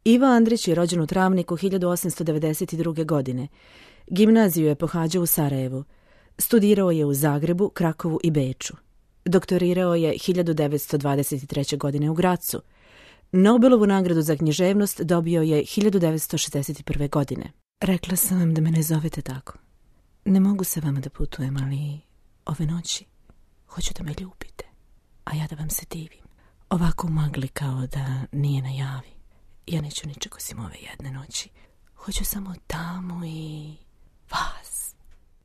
Ivo Andrić je rođen u Travniku 1892. godine. Gimnaziju je pohađao u Sarajevu. Studirao je u Zagrebu, Krakovu i Beču. Doktorirao je 1923. godine u Grazu. Nobelovu nagradu za književnost dobio je 1961. godine. Rekla sam vam da me ne zovete tako. Ne mogu sa vama da putujem, ali ove noći hoću da me ljubite, a ja da vam se divim. Ovako u magli kao da nije na javi. Ja neću ničeg osim ove jedne noći. Hoću samo tamo i vas.